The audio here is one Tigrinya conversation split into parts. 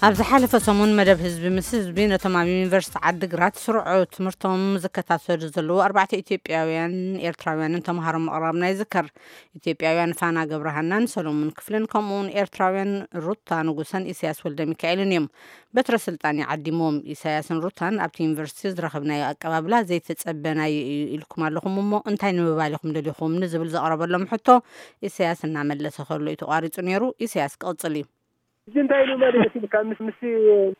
ኣብ ዝሓለፈ ሰሙን መደብ ህዝቢ ምስ ህዝቢ ነቶም ኣብ ዩኒቨርሲቲ ዓዲግራት ስርዑ ትምህርቶም ዝከታተሉ ዘለዉ ኣርባዕተ ኢትዮጵያውያን ኤርትራውያንን ተምሃሮ ምቕራብና ይዝከር። ኢትዮጵያውያን ፋና ገብረሃናን ሰሎሙን ክፍልን ከምኡውን ኤርትራውያን ሩታ ንጉሰን ኢሳያስ ወልደ ሚካኤልን እዮም በትረ ስልጣን ይዓዲሞም። ኢሳያስን ሩታን ኣብቲ ዩኒቨርሲቲ ዝረኸብናዮ ኣቀባብላ ዘይተጸበናዮ እዩ ኢልኩም ኣለኹም፣ እሞ እንታይ ንምባል ኢኹም ደሊኹም ንዝብል ዘቕረበሎም ሕቶ ኢሳያስ እናመለሰ ከሎ እዩ ተቋሪጹ ነይሩ። ኢሳያስ ክቕጽል እዩ። እዚ እንታይ ኢሉ ማለት ኢልካ ምስ ምስ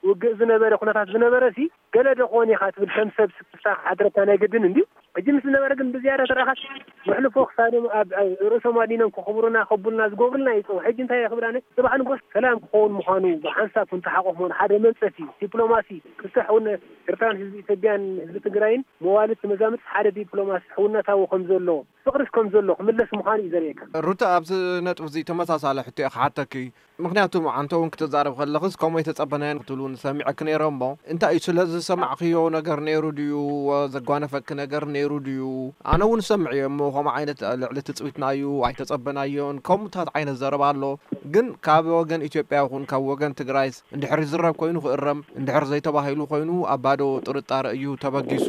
ውግእ ዝነበረ ኩነታት ዝነበረ ሲ ገለ ዶ ክኾን ኢኻ ትብል ከም ሰብ ስክፍታ ክሓድረካ ናይ ግድን እንድዩ። ሕጂ ምስ ዝነበረ ግን ብዝያዳ ተረኻት መሕልፎ ክሳዶም ኣብ ኣብ ርእሶም ኣዲኖም ክኽብሩና ከቡልና ዝገብሩልና ይፀው። ሕጂ እንታይ ክብላነ ጽባሕ ንጎስ ሰላም ክኸውን ምዃኑ ብሓንሳብ ክንተሓቆፍ ምዃኑ ሓደ መንጸፍ እዩ። ዲፕሎማሲ ክስራሕ እውን ኤርትራን ህዝቢ ኢትዮጵያን ህዝቢ ትግራይን መዋልድ መዛምድቲ ሓደ ዲፕሎማሲ ሕውነታዊ ከም ዘሎ ፍቕሪስ ከም ዘሎ ክምለስ ምዃኑ እዩ ዘርእየካ። ሩታ ኣብዚ ነጥቢ እዚ ተመሳሳሊ ሕቶ እየ ክሓተኪ። ምኽንያቱ መዓንተ እውን ክትዛረብ ከለኽስ ከምኡ ኣይተጸበናዮን ክትብሉ ንሰሚዐኪ ነይረ እሞ እንታይ እዩ ስለ ዝሰማዕክዮ ነገር ነይሩ ድዩ? ዘጓነፈኪ ነገር ነይሩ ድዩ? ኣነ እውን ሰምዕ እየ እሞ ከምኡ ዓይነት ልዕሊ ትጽቢትና እዩ ኣይተጸበናዮን ከምኡታት ዓይነት ዘረባ ኣሎ። ግን ካብ ወገን ኢትዮጵያ ይኹን ካብ ወገን ትግራይስ እንድሕር ይዝረብ ኮይኑ ክእረም እንድሕር ዘይተባሂሉ ኮይኑ ኣብ ባዶ ጥርጣረ እዩ ተበጊሱ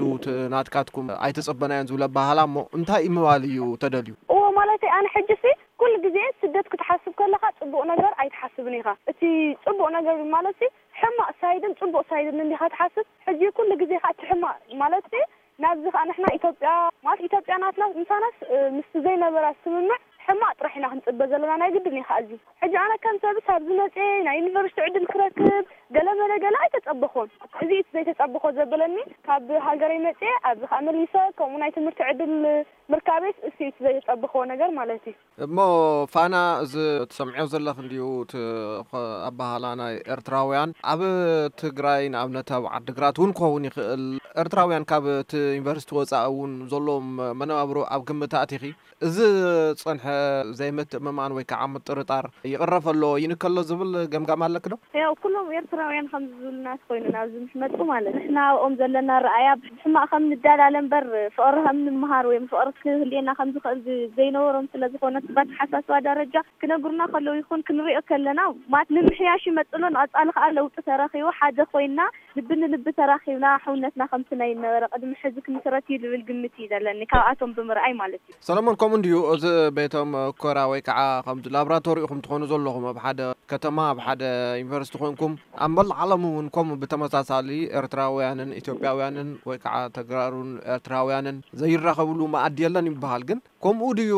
ናትካትኩም ኣይተጸበናዮን ዝብል ኣባህላ እሞ እንታይ ምባል እዩ ተደልዩ? እዎ ማለተይ ኣነ ሕጂ ሲ ኩሉ ግዜ ስደት ክትሓስብ ከለኻ ጽቡቕ ነገር ኣይትሓስብን ኢኻ። እቲ ጽቡቕ ነገር ማለት ሲ ሕማቕ ሳይድን ጽቡቕ ሳይድን እንዲኻ ትሓስብ። ሕጂ ኩሉ ግዜ ኸኣ እቲ ሕማቕ ማለት ሲ ናብዚ ኸኣ ንሕና ኢትዮጵያ ማለት ኢትዮጵያ ናትና ምሳናስ ምስቲ ዘይነበራ ስምምዕ ሕማቕ ጥራሕ ኢና ክንጽበ ዘለና ናይ ግድን እዩ ኸኣ እዚ። ሕጂ ኣነ ከም ሰብስ ኣብዚ መጽየ ናይ ዩኒቨርሲቲ ዕድል ክረክብ ገለ መለ ገለ ኣይተጸበኹን። እዚ እቲ ዘይተጸበኾ ዘበለኒ ካብ ሃገረይ መጽየ ኣብዚ ኸኣ መሊሰ ከምኡ ናይ ትምህርቲ ዕድል ምርካበይስ እሱ እዩ እቲ ዘይተጸበኽዎ ነገር ማለት እዩ። እሞ ፋና እዚ ትሰምዕዮ ዘለኽ እንድዩ እቲ ኣባህላ ናይ ኤርትራውያን ኣብ ትግራይ ንኣብነት ኣብ ዓድግራት እውን ክኸውን ይኽእል። ኤርትራውያን ካብ እቲ ዩኒቨርሲቲ ወፃኢ እውን ዘለዎም መነባብሮ ኣብ ግምት ኣእቲኺ እዚ ዝፀንሐ ዘይምትእምማን ወይ ከዓ ምጥርጣር ይቕረፍ ኣሎ ይንከሎ ዝብል ገምጋም ኣለክ ዶ? ያው ኩሎም ኤርትራውያን ከምዚ ዝብሉና ተኮይኑ ናብዚ ምስ መጡ ማለት ንሕና ኣብኦም ዘለና ረኣያ ብሕማቕ ከም ንዳላለ እምበር ፍቕሪ ከም ንምሃር ወይ ፍቕሪ ክህልየና ከም ዝኽእል ዝ- ዘይነበሮም ስለ ዝኾነ በተሓሳስባ ደረጃ ክነግሩና ከለዉ ይኹን ክንሪኦ ከለና ማለት ንምሕያሽ ይመጽእ ኣሎ ንቐጻሊ ከኣ ለውጢ ተረኺቡ ሓደ ኮይና ልቢ ንልቢ ተራኺብና ሕውነትና ከምቲ ናይ ነበረ ቅድሚ ሕዚ ክምስረት እዩ ዝብል ግምት እዩ ዘለኒ ካብኣቶም ብምርኣይ ማለት እዩ። ሰለሞን ከምኡ እንድዩ እዚ ቤቶም ኮራ ወይ ከዓ ከምዚ ላብራቶሪ ኢኹም ትኾኑ ዘለኹም ኣብ ሓደ ከተማ ኣብ ሓደ ዩኒቨርሲቲ ኮንኩም ኣብ መላእ ዓለም እውን ከምኡ ብተመሳሳሊ ኤርትራውያንን ኢትዮጵያውያንን ወይ ከዓ ተግራሩን ኤርትራውያንን ዘይራኸብሉ መኣዲ የለን ይበሃል ግን ከምኡ ድዩ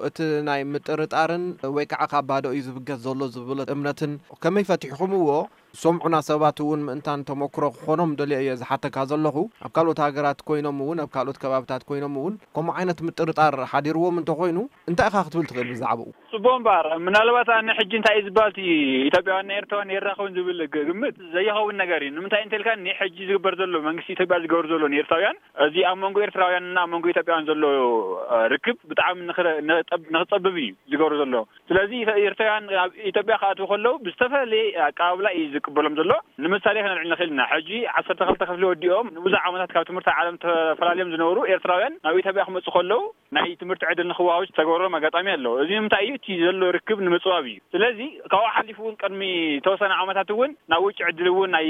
እቲ ናይ ምጥርጣርን ወይ ከዓ ካብ ባዶ እዩ ዝብገስ ዘሎ ዝብል እምነትን ከመይ ፈቲሕኹምዎ ዝሰምዑና ሰባት እውን ምእንታን ተመክሮ ክኾኖም ደልየ እየ ዝሓተካ ዘለኹ። ኣብ ካልኦት ሃገራት ኮይኖም እውን ኣብ ካልኦት ከባብታት ኮይኖም እውን ከምኡ ዓይነት ምጥርጣር ሓዲርዎም እንተኾይኑ እንታይ ኢኻ ክትብል ትኽእል ብዛዕባኡ? ጽቡቕ እምበኣር ምናልባት ኣነ ሕጂ እንታይ እዩ ዝበሃል እቲ ኢትዮጵያውያን ናይ ኤርትራውያን የራኸቡን ዝብል ግ- ግምት ዘይኸውን ነገር እዩ። ንምንታይ እንተልካ ንሕጂ ዝግበር ዘሎ መንግስቲ ኢትዮጵያ ዝገብር ዘሎ ንኤርትራውያን እዚ ኣብ መንጎ ኤርትራውያንና ኣብ መንጎ ኢትዮጵያውያን ዘሎ ርክብ ብጣዕሚ ንኽረ- ንኽጸብ- ንኽጸብብ እዩ ዝገብሩ ዘሎ። ስለዚ ኤርትራውያን ኣብ ኢትዮጵያ ክኣትዉ ከለዉ ብዝተፈላለየ ኣቀባብላ እዩ ዝቅበሎም ዘሎ። ንምሳሌ ከነልዕል ንኽእል ኢና። ሕጂ ዓሰርተ ክልተ ክፍሊ ወዲኦም ንብዙሕ ዓመታት ካብ ትምህርቲ ዓለም ተፈላልዮም ዝነበሩ ኤርትራውያን ናብ ኢትዮጵያ ክመፁ ከለዉ ናይ ትምህርቲ ዕድል ንክወሃቡ ዝተገበረሎም ኣጋጣሚ ኣሎ። እዚ ንምንታይ እዩ? እቲ ዘሎ ርክብ ንምፅባብ እዩ። ስለዚ ካብኡ ሓሊፉ እውን ቅድሚ ተወሰነ ዓመታት እውን ናብ ውጭ ዕድል እውን ናይ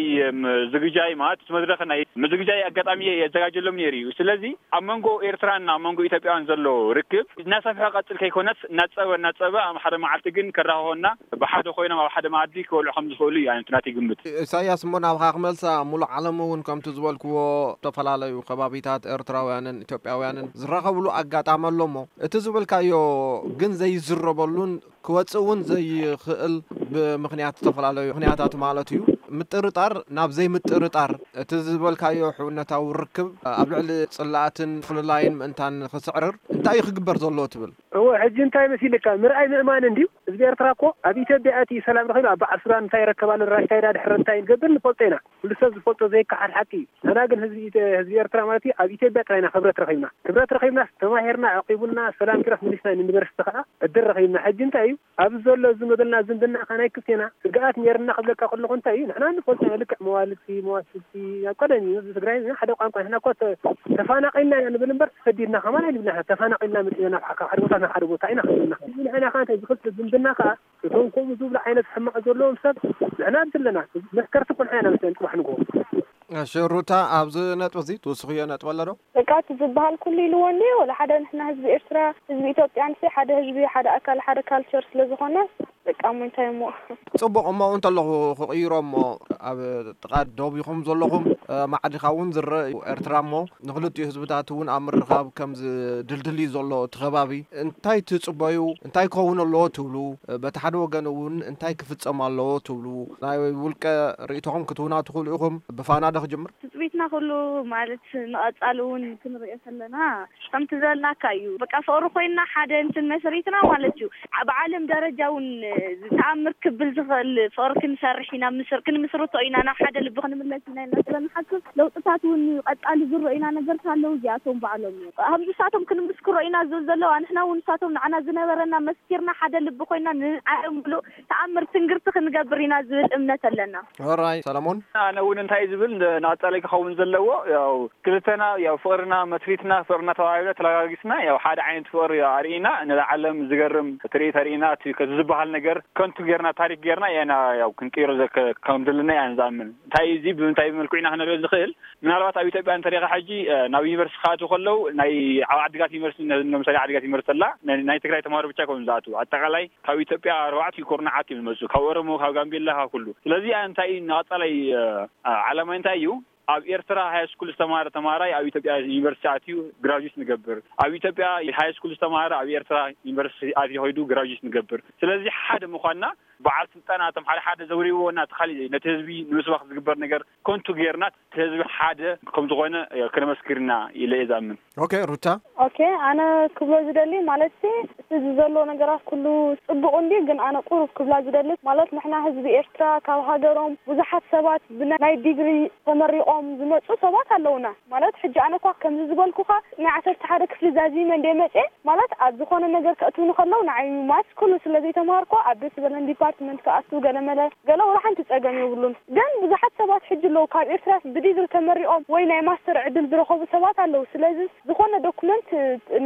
ዝግጃይ ማለት መድረክ ናይ ምዝግጃይ ኣጋጣሚ የዘጋጀሎም ነይሩ እዩ። ስለዚ ኣብ መንጎ ኤርትራን ኣብ መንጎ ኢትዮጵያን ዘሎ ርክብ እናሰፍሐ ቀፅል ከይኮነስ እናፀበ እናፀበ ኣብ ሓደ መዓልቲ ግን ከራኸቦና ብሓደ ኮይኖም ኣብ ሓደ መኣዲ ክበልዑ ከም ዝኽእሉ እዩ ኣንቲ ናተይ ግምት። ኢሳያስ እሞ ናብኻ ክመልሳ ሙሉእ ዓለም እውን ከምቲ ዝበልክዎ ዝተፈላለዩ ከባቢታት ኤርትራውያንን ኢትዮጵያውያንን ዝራኸብሉ ኣጋጣሚ ኣሎ እሞ እቲ ዝበልካዮ ግን ዘይዝረበሉን ክወፅእ እውን ዘይኽእል ብምኽንያት ዝተፈላለዩ ምኽንያታት ማለት እዩ ምጥርጣር ናብ ዘይምጥርጣር እቲ ዝበልካዮ ሕውነታዊ ርክብ ኣብ ልዕሊ ፅላእትን ፍልላይን ምእንታን ክስዕርር እንታይ እዩ ክግበር ዘለዎ ትብል? እወ ሕጂ እንታይ መሲልካ ምርኣይ ምእማን እንድዩ። ህዝቢ ኤርትራ እኮ ኣብ ኢትዮጵያ ኣትዩ ሰላም ረኺቡ ኣብ በዓል ሱዳን እንታይ ይረከብ ኣሎ ራሽታ ኢዳ ድሕሪ እንታይ ንገብር ንፈልጦ ኢና። ኩሉ ሰብ ዝፈልጦ ዘይከሓድ ሓቂ እዩ። ንሕና ግን ህዝቢ ኢትዮ- ህዝቢ ኤርትራ ማለት እዩ ኣብ ኢትዮጵያ ጥራይ ኢና ክብረት ረኺብና። ክብረት ረኺብና ተማሂርና ኣዕቂቡና ሰላም ኪሮስ ምሊስና ዩኒቨርሲቲ ከዓ ዕድል ረኺብና። ሕጂ እንታይ እዩ ኣብዚ ዘሎ እዚ መበልና ዝምድና ከ ናይ ክልቴና ስግኣት ነይርና ክብለካ ከለኹ እንታይ እዩ ንሕና ንፈልጦ ኢና ልክዕ መዋልድቲ መዋስልቲ ኣብ ቀደም እዩ ህዝቢ ትግራይ ንሕና ሓደ ቋንቋ ንሕና እኮ ተ- ተፋናቒልና ኢና ንብል እምበር ተሰዲድና ከማን ኣይንብልና ተፋናቒልና መፂና ናብ ሓደ ቦታ ናብ ሓደ ቦታ ኢና ክብልና ንሕና ከ እንታይ ዝኽልተ ዝምድና ከዓ ከም ከምኡ ዝብሉ ዓይነት ሕማቕ ዘለዎም ሰብ ንሕና ኣብዚ ኣለና። መስከርቲ እኮ ንሕና ኢና መስለን ጽባሕ ንግሆ። እሺ ሩታ፣ ኣብዚ ነጥቢ እዚ ትውስኽዮ ነጥቢ ኣሎ ዶ? በቃ እቲ ዝበሃል ኩሉ ኢልዎ እንዲ፣ ወላ ሓደ ንሕና ህዝቢ ኤርትራ፣ ህዝቢ ኢትዮጵያ ንሲ ሓደ ህዝቢ፣ ሓደ ኣካል፣ ሓደ ካልቸር ስለ ዝኾነ፣ በቃ እሞ እንታይ እሞ። ጽቡቕ እሞ እንተለኹ ክቕይሮ እሞ ኣብ ጥቓ ዶብ ኢኹም ዘለኹም፣ እ፣ ማዕዲኻ እውን ዝረአ እዩ ኤርትራ እሞ ንኽልቲኡ ህዝብታት እውን ኣብ ምርኻብ ከም ዝድልድል እዩ ዘሎ እቲ ከባቢ። እንታይ ትጽበዩ? እንታይ ክኸውን ኣለዎ ትብሉ? እ፣ በቲ ሓደ ወገን እውን እንታይ ክፍጸም ኣለዎ ትብሉ? ናይ ውልቀ ርእይቶኹም ክትህቡና ትኽእሉ ኢኹም። ብፋና ዶ ክጅምር? ትጽቢትና ኩሉ ማለት ንቐጻሊ እውን ክንርእዮ ከለና ከምቲ ዘልናካ እዩ። በቃ ፍቕሪ ኮይንና ሓደ እንትን መስሪትና ማለት እዩ። ዓ-፣ ብዓለም ደረጃ እውን ዝተኣምር ክብል ዝኽእል ፍቕሪ ክንሰርሕ ኢና፣ ምስር-፣ ክንምስርቶ ኢና፣ ናብ ሓደ ልቢ ክንምለስ ኢና ኢልና ስለ ንሓስብ ለውጥታት እውን ቀጻሊ ዝረኡና ነገርታት ኣለዉ። እዚኣቶም ባዕሎም እዮም። ኣብዚ ንሳቶም ክንምስክሮ ኢና ዝብል ዘለዋ፣ ንሕና እውን ንሳቶም ንዓና ዝነበረና መስኪርና ሓደ ልቢ ኮይና ንዓለም ምሉእ ተኣምር ትንግርቲ ክንገብር ኢና ዝብል እምነት ኣለና። ኦራይ ሰለሞን። ኣነ እውን እንታይ ዝብል እንደ-፣ ንቐጻሊ ክኸውን ዘለዎ ያው ክልተና ያው ፍቕርና መስሪትና ፍቕርና ተባሂለ ተለጋጊስና ያው ሓደ ዓይነት ፍቕሪ ኣርኢና ንዓለም ዝገርም ትርኢት ኣርኢና እቲ ከዚ ዝበሃል ነገር ከንቱ ጌርና ታሪክ ጌርና ኢና ያው ክንቅይሮ ዘከ-፣ ከም ዘለና ኢና ንዝኣምን። እንታይ እዚ ብምንታይ መልክዑ ኢና ክንሪኦ ዝኽእል? ምናልባት ኣብ ኢትዮጵያ እንተሪኻ ሕጂ፣ እ፣ ናብ ዩኒቨርሲቲ ክኣትዉ ከለዉ ናይ ኣብ ዓዲግራት ዩኒቨርሲቲ ነ-፣ ንምሳሌ ዓዲግራት ዩኒቨርሲቲ ኣላ፣ ናይ፣ ናይ ትግራይ ተማሃሮ ብቻ ይኮኑ ዝኣትዉ። ኣጠቃላይ ካብ ኢትዮጵያ ኣርባዕተ ኩርናዓት እዮም ዝመጹ። ካብ ኦሮሞ፣ ካብ ጋምቤላ፣ ካብ ኩሉ። ስለዚ ኣነ እንታይ እዩ ንቐጻላይ፣ እ፣ እ፣ ዓላማይ እንታይ እዩ? ኣብ ኤርትራ ሃይ ስኩል ዝተማሃረ ተማሃራይ ኣብ ኢትዮጵያ ዩኒቨርሲቲ ኣትዩ ግራጁዌት ንገብር። ኣብ ኢትዮጵያ ሃይ ስኩል ዝተማሃረ ኣብ ኤርትራ ዩኒቨርሲቲ ኣትዩ ከይዱ ግራጁዌት ንገብር። ስለዚ ሓደ ምዃንና በዓል ስልጣን ኣቶም ሓደ ሓደ ዘውሪዎ እና እቲ ካሊእ ነቲ ህዝቢ ንምስባኽ ዝግበር ነገር ከንቱ ጌርና እቲ ህዝቢ ሓደ ከም ዝኾነ ክነመስክር ኢና ኢለ እየ ዝኣምን። ኦኬ ሩታ። ኦኬ፣ ኣነ ክብሎ ዝደሊ ማለት ሲ፣ እዚ ዘሎ ነገራት ኩሉ ጽቡቕ እንዲ፣ ግን ኣነ ቁሩብ ክብላ ዝደሊ ማለት ንሕና ህዝቢ ኤርትራ ካብ ሃገሮም ብዙሓት ሰባት ብናይ ዲግሪ ተመሪቖም ዝመጹ ሰባት ኣለውና። ማለት ሕጂ ኣነ እኳ ከምዚ ዝበልኩኻ ናይ ዓሰርተ ሓደ ክፍሊ ዛዚመ እንደ መጽየ ማለት ኣብ ዝኾነ ነገር ከእትውኒ ከለዉ ንዓይ ማትስ ኩሉ ስለ ዘይተማሃርኩ ኣብ ደስ ዝበለን ዲፓርትመንት ክኣቱ ገለመለ ገለ ወላ ሓንቲ ጸገም የብሉን። ግን ብዙሓት ሰባት ሕጂ ኣለዉ ካብ ኤርትራ ብዲግሪ ተመሪቖም ወይ ናይ ማስተር ዕድል ዝረኸቡ ሰባት ኣለዉ። ስለዚ ዝኾነ ዶኩመንት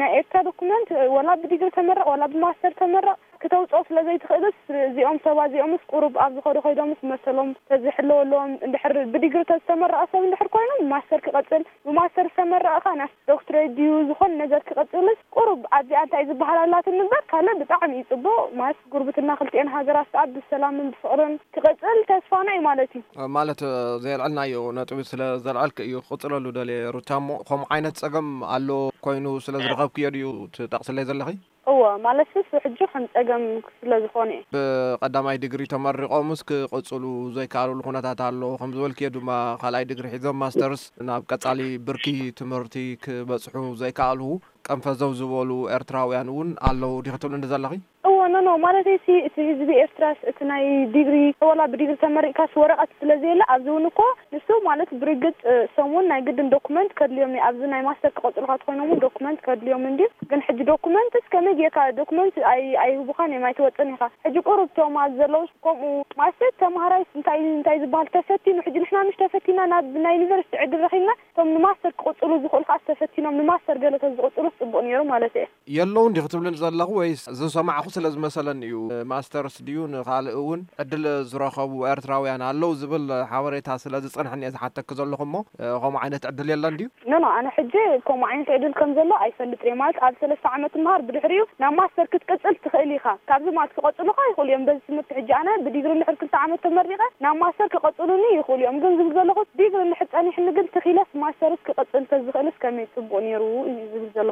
ናይ ኤርትራ ዶኩመንት ወላ ብዲግሪ ተመረቕ ወላ ብማስተር ተመረቕ ክተውፅኦ ስለ ዘይትኽእልስ እዚኦም ሰባት እዚኦምስ ቁሩብ ኣብ ዝኸዱ ከይዶምስ መሰሎም ተዝሕለወሎም እንድሕር ብዲግሪ ተዝተመረቐ ሰብ እንድሕር ኮይኖም ማስተር ክቐፅል ብማስተር ዝተመረቐ ኸዓ ናብ ዶክትሬት ድዩ ዝኾነ ነገር ክቐፅልስ ቁሩብ ኣብዚኣ እንታይ ዝበሃል ኣላትኒ እምበር ካልእ ብጣዕሚ እዩ ፅቡቕ ማለት ጉርብትና ክልቲኤን ሃገራት ከዓ ብሰላምን ብፍቕርን ክቐፅል ተስፋና እዩ ማለት እዩ። ማለት ዘየልዐልናዮ ነጥቢ ስለ ዘልዐልክ እዩ ክቕፅለሉ ደልየ ሩታ እሞ ከምኡ ዓይነት ፀገም ኣሎ ኮይኑ ስለ ዝረኸብክዮ ድዩ ትጠቕስለይ ዘለኺ? እወ፣ ማለትስ ሕጂ ከም ጸገም ስለ ዝኾነ እዩ። ብቐዳማይ ዲግሪ ተመሪቖምስ ክቕጽሉ ዘይከኣልሉ ኩነታት ኣሎ። ከም ዝበልክዮ ድማ ካልኣይ ዲግሪ ሒዞም ማስተርስ ናብ ቀጻሊ ብርኪ ትምህርቲ ክበጽሑ ዘይከኣልሁ ቀንፈዘው ዝበሉ ኤርትራውያን እውን ኣለዉ ዲኺ ትብልኒ ዘለኺ? እወ፣ ኖ፣ ኖ፣ ማለተይሲ እቲ ህዝቢ ኤርትራስ እቲ ናይ ዲግሪ፣ ወላ ብዲግሪ ተመሪቕካስ ወረቐት ስለ ዘየለ ኣብዚ እውን እኮ ንሱ ማለት ብርግጽ፣ እ፣ እሶም እውን ናይ ግድን ዶኩመንት ከድልዮም እዩ። ኣብዚ ናይ ማስተር ክቐጽሉኻ ተኾይኖም እውን ዶኩመንት ከድልዮም እንድዩ። ግን ሕጂ ዶኩመንትስ ከመይ ጌርካ ዶኩመንት ኣይ-፣ ኣይህቡኻን እዮም፣ ኣይትወጽን ኢኻ። ሕጂ ቁሩብ እቶም ኣብዚ ዘለዉ ከምኡ ማለት ተምሃራይስ እንታይ፣ እንታይ ዝበሃል ተፈቲኑ፣ ሕጂ ንሕና ምሽ ተፈቲና ናብ ናይ ዩኒቨርሲቲ ዕድል ረኺብና፣ እቶም ንማስተር ክቕጽሉ ዝኽእሉ ከኣ ተፈቲኖም ንማስተር ገለ ተዝቕጽሉ ጽቡቕ ነይሩ ማለት እየ። የለውን ዲኺ ትብልኒ ዘለኺ ወይስ ዝሰማዕኹ ስለ ዝመሰለኒ እዩ? ማስተርስ ድዩ ንኻልእ እውን ዕድል ዝረኸቡ ኤርትራውያን ኣለዉ ዝብል ሓበሬታ ስለ ዝጸንሐኒ እየ ዝሓተኪ ዘለኹ እሞ፣ እ፣ ከምኡ ዓይነት ዕድል የለን ድዩ? ኖ፣ ኖ፣ ኣነ ሕጂ ከምኡ ዓይነት ዕድል ከም ዘሎ ኣይፈልጥን እየ። ማለት ኣብ ሰለስተ ዓመት ትምሃር ብድሕሪኡ ናብ ማስተር ክትቅጽል ትኽእል ኢኻ። ካብዚ ማለት ክቐጽሉኻ ይኽእሉ እዮም። በዚ ትምህርቲ ሕጂ ኣነ ብዲግሪ እንድሕር ክልተ ዓመት ተመሪቐ ናብ ማስተር ክቐጽሉኒ ይኽእሉ እዮም። ግን ዝብል ዘለኹ ዲግሪ እንድሕር ጸኒሕኒ ግን ትኺለስ ማስተርስ ክቐጽል ተዝኽእልስ ከመይ ጽቡቕ ነይሩ እዩ ዝብል ዘለኹ።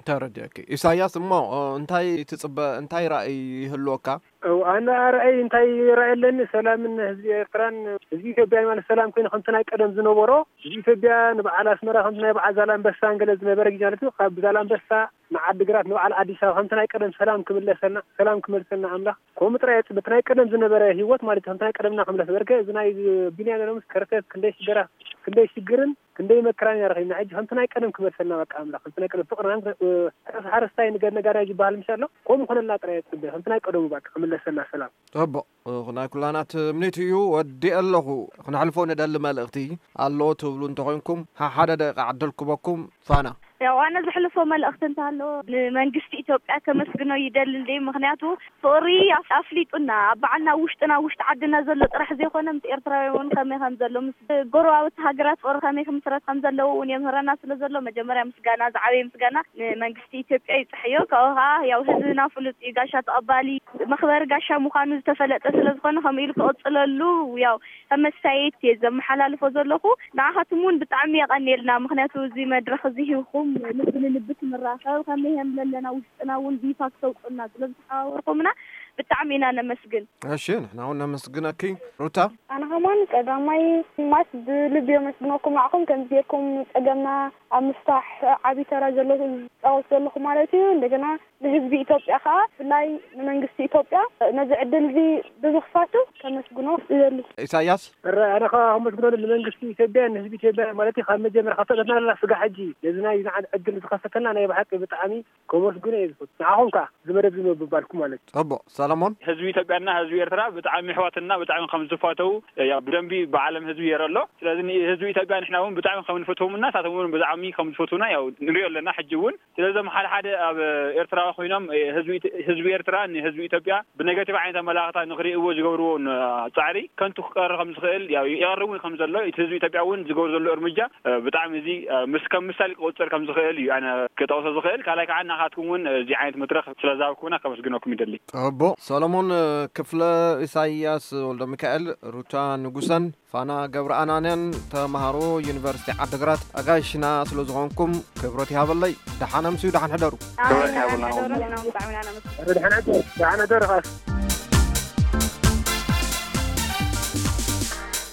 ተረዲአኪ። ኢሳያስ፣ እሞ፣ እ፣ እንታይ ትጽበ፣ እንታይ ራእይ ይህልወካ? እው፣ ኣነ ራእይ እንታይ ራእይ ኣለኒ? ሰላምን ህዝቢ ኤርትራን ህዝቢ ኢትዮጵያን ማለት ሰላም ኮይኑ ከምቲ ናይ ቀደም ዝነበሮ፣ ህዝቢ ኢትዮጵያ ንበዓል ኣስመራ ከምቲ ናይ በዓል ዛላንበሳ እንገለ ዝነበረ ግዜ ማለት እዩ። ካብ ዛላንበሳ ንዓዲግራት ንበዓል ኣዲስ ኣበባ ከምቲ ናይ ቀደም ሰላም ክምለሰልና፣ ሰላም ክመልሰልና ኣምላኽ። ከምኡ ጥራይ የጽ-፣ በቲ ናይ ቀደም ዝነበረ ህይወት ማለት እዩ። ከምቲ ናይ ቀደምና ክምለስ በርከ እዚ ናይ ቢንያም ሎምስ ከርተት ክንደይ ሽገራ፣ ክንደይ ሽግርን ክንደይ መከራን ኢና ረኺብና። ሕጂ ከምቲ ናይ ቀደም ክመልሰልና በቃ ኣምላኽ። ከምቲ ናይ ቀደም ፍቕርናን፣ እ፣ ሕረስ ሓረስታይ ንገ-፣ ነጋዳይ ዝበሃል ምሽ ኣሎ። ከምኡ ክኾነልና ጥራይ እየ ዝጽበ። ከምቲ ናይ ቀደሙ በቃ ክምለሰልና ሰላም። ጽቡቕ። እ፣ ናይ ኩላና ትምኒት እዩ። ወዲኤ ኣለኹ። ክነሕልፎ ንደሊ መልእኽቲ ኣሎ ትብሉ እንተኾይንኩም፣ ሓ-፣ ሓደ ደቂቃ ዕድል ክበኩም። ፋና። ያው ኣነ ዘሕልፎ መልእኽቲ እንተሃለዎ ንመንግስቲ ኢትዮጵያ ከመስግኖ ይደሊ እንደ ምክንያቱ ፍቕሪ ኣፍ- ኣፍሊጡና ኣብ በዓልና ውሽጥና ውሽጢ ዓድና ዘሎ ጥራሕ ዘይኮነ ምስ ኤርትራውያን እውን ከመይ ከም ዘሎ ምስ ጎረባብቲ ሃገራት ፍቕሪ ከመይ ክምስረት ከም ዘለዎ እውን የምህረና ስለ ዘሎ መጀመርያ ምስጋና ዝዓበየ ምስጋና ንመንግስቲ ኢትዮጵያ ይብፅሐዮ። ካብኡ ከዓ ያው ህዝብና ፍሉጥ እዩ፣ ጋሻ ተቐባሊ መኽበሪ ጋሻ ምዃኑ ዝተፈለጠ ስለ ዝኾነ ከምኡ ኢሉ ክቕፅለሉ ያው ከም መሳየት እየ ዘመሓላልፎ ዘለኹ። ንዓኻትም እውን ብጣዕሚ የቐንየልና፣ ምክንያቱ እዚ መድረኽ እዚ ሂብኩም ልቢ ንልቢ ክንራኸብ ከመይ ከም ዘለና ውሽጥና እውን ብይፋ ክተውፅኡልና ስለ ዝተሓባበርኩምና ብጣዕሚ ኢና ነመስግን። እሺ፣ ንሕና እውን ነመስግነኪ ሩታ። ኣነ ከማን ቀዳማይ ማስ ብልቢ የመስግነኩም። ንዓኹም ከምዚ ጌርኩም ጸገምና ኣብ ምፍታሕ ዓቢ ተራ ዘሎ ዝጻወት ዘለኹም ማለት እዩ። እንደገና ንህዝቢ ኢትዮጵያ ከኣ ብፍላይ ንመንግስቲ ኢትዮጵያ ነዚ ዕድል እዚ ብምኽፋቱ ከመስግኖ እደሊ። ኢሳያስ። እረ ኣነ ከኣ ከመስግኖ ንመንግስቲ ኢትዮጵያ ንህዝቢ ኢትዮጵያ ማለት እዩ። ካብ መጀመርያ ካብ ተፈጠርና ስጋ ሕጂ ነዚ ናይ ዝዓን ዕድል ዝኸፈተልና ናይ ብሓቂ ብጣዕሚ ከመስግኖ እየ ዝፈቱ። ንዓኹም ከኣ እዚ መደብ እዚ ምብባልኩም ማለት እዩ። ጽቡቕ። ሰለሞን። ህዝቢ ኢትዮጵያና ህዝቢ ኤርትራ ብጣዕሚ ኣሕዋትና ብጣዕሚ ከም ዝፋተው ያው ብደንቢ ብዓለም ህዝቢ የረ ኣሎ። ስለዚ ንህዝቢ ኢትዮጵያ ንሕና እውን ብጣዕሚ ከም ንፈትዎም እና ንሳቶም እውን ብጣዕሚ ከም ዝፈትውና ያው ንሪኦ ኣለና። ሕጂ እውን ስለዞም ሓደ ሓደ ኣብ ኤርትራ ኮይኖም ህዝቢ ኢት- ህዝቢ ኤርትራ ንህዝቢ ኢትዮጵያ ብነገቲቭ ዓይነት ኣመላኽታ ንክርእይዎ ዝገብርዎ ን- ጻዕሪ ከንቱ ክቀሪ ከም ዝኽእል ያው ይቐርብ እውን ከም ዘሎ እቲ ህዝቢ ኢትዮጵያ እውን ዝገብር ዘሎ እርምጃ ብጣዕሚ እዚ ምስ ከም ምሳሌ ክቁጸር ከም ዝኽእል እዩ ኣነ ክጠቕሶ ዝኽእል። ካልኣይ ከዓ ናኻትኩም እውን እዚ ዓይነት መድረኽ ስለ ዝሃብኩምና ከመስግነኩም ይደሊ። ጽቡቕ። ሰሎሞን ክፍለ፣ ኢሳይያስ ወልደ ሚካኤል፣ ሩታ ንጉሰን ፋና ገብረኣናንያን ተምሃሮ ዩኒቨርሲቲ ዓድግራት ኣጋይሽና ስለ ዝኾንኩም ክብረት ይሃበለይ። ደሓን ኣምስዩ፣ ደሓን ሕደሩ። ክብረት ይሃበልና። ደሓን ሕደሩ። ደሓን ሕደሩ። ደሓን ሕደሩ።